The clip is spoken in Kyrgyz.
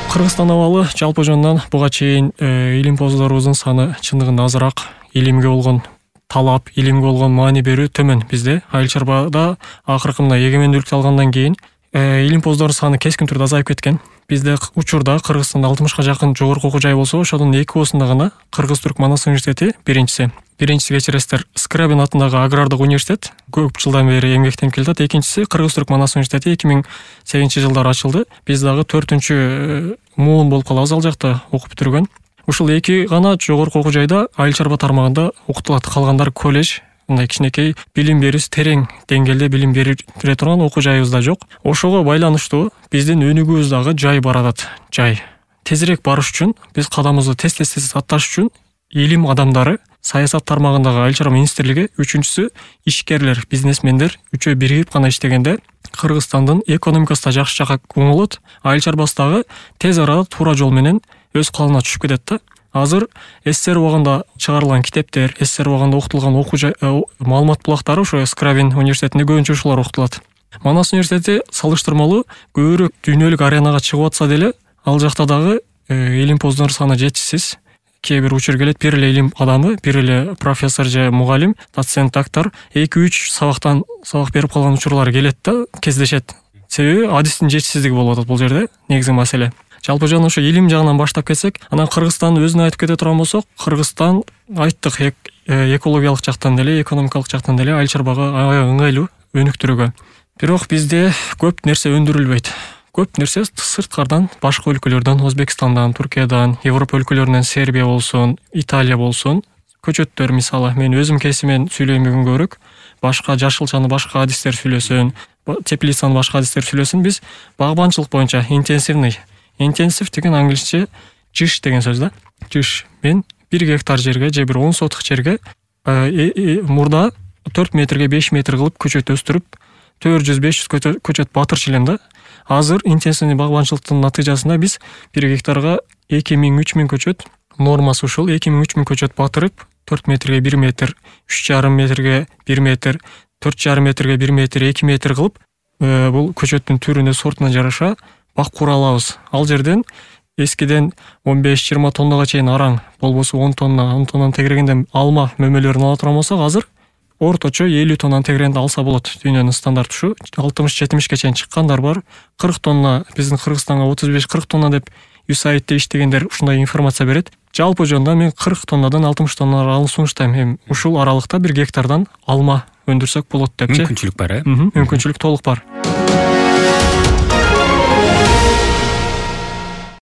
Кыргызстан абалы жалпы жонунан буга чейин илимпоздорубуздун саны чындыгында азыраак, илимге болгон талап, илимге болгон маани берүү төмөн бизде. Айыл чарбада акыркы мына эгемендүүлүктү алгандан кийин илимпоздордун саны кескин түрдө азайып кеткен. Бизде учурда Кыргызстанда 60га жакын жогорку окуу жай болсо, ошонун 2осунда гана Кыргыз-Түрк Манас университети биринчиси кечиресиздер, Скрябин атындагы агрардык университет көп жылдан бери эмгектенип келатат. Экинчиси Кыргыз-Түрк Манас университети 2008-жылдары ачылды. Биз дагы 4-муун болуп калабыз ал жакта окуп бүтүргөн. Ушул 2 гана жогорку окуу жайда айыл чарба тармагында окутулат. Калгандары колледж, мындай кичинекей билим берүүсү терең деңгээлде билим бере турган окуу жайыбызда жок. Ошого байланыштуу биздин өнүгүүбүз дагы жай баратат. Жай. Тезирээк барыш үчүн, биз кадамыбызды тез атташ үчүн илим адамдары, саясат тармагындагы айыл чарба министрлиги, үчүнчүсү ишкерлер, бизнесмендер үчөө биригип гана иштегенде Кыргызстандын экономикасы да жакшы жакка оңолот, айыл чарбасы дагы тез арада туура жол менен өз калыбына түшүп кетет да. Азыр СССР убагында чыгарылган китептер, СССР убагында окутулган окуу маалымат булактары ошо Скрябин университетинде көбүнчө ушулар окутулат. Манас университети салыштырмалуу көбүрөөк дүйнөлүк аренага чыгып атса деле, ал жакта дагы илимпоздор саны жетишсиз. Кээ бир учур келет, бир эле илим адамы, бир эле профессор же мугалим, доцент, доктор 2-3 сабак берип калган учурлар келет да, кездешет. Себеби адистин жетишсиздиги болуп атат бул жерде негизги маселе. Жалпы жана ошо илим жагынан баштап кетсек, анан Кыргызстандын өзүнө айтып кете турган болсок, Кыргызстан айттык экологиялык жактан деле, экономикалык жактан деле айыл чарбага аябай ыңгайлуу өнүктүрүүгө. Бирок бизде көп нерсе өндүрүлбөйт. Көп нерсе сырткардан, башка өлкөлөрдөн, Өзбекстандан, Туркиядан, Европа өлкөлөрүнөн, Сербия болсун, Италия болсун, көчөттөр мисалы, мен өзүм кесимен сүйлөйм бүгүнгөрүк, башка жашылчаны башка адистер сүйлөсүн, теплицаны башка адистер сүйлөсүн, биз багбанчылык боюнча интенсив деген англисче жиш деген сөз да. Жиш. Мен 1 гектар жерге же бир 10 соток жерге мурда 4 метрге 5 метр кылып көчөт өстүрүп, 400-500 көчөт батырчу элем да. Азыр интенсивный багбанчылыктын натыйжасында биз 1 гектарга 2000-3000 көчөт, нормасы ушул 2000-3000 көчөт батырып, 4 метрге 1 метр, 3,5 метрге 1 метр, 4,5 метрге 1 метр, 2 метр кылып, бул көчөттүн түрүнө, сортуна жараша бак кура алабыз. Ал жерден эскиден 15-20 тоннага чейин араң, болбосо 10 тоннаны тегерегенде алма мөмөлөрүн ала турган болсок, азыр орточо 50 тоннаны тегерегенде алса болот. Дүйнөнүн стандарты ушу. 60-70ге чейин чыккандар бар. 40 тонна, биздин Кыргызстанга 35-40 тонна деп USAID иштегендер ушундай информация берет. Жалпы жонда мен 40 тоннадан 60 тоннага алып сунуштайм. Ушул аралыкта 1 гектардан алма өндүрсөк болот депчи. Мүмкүнчүлүк бар, Мүмкүнчүлүк толук бар.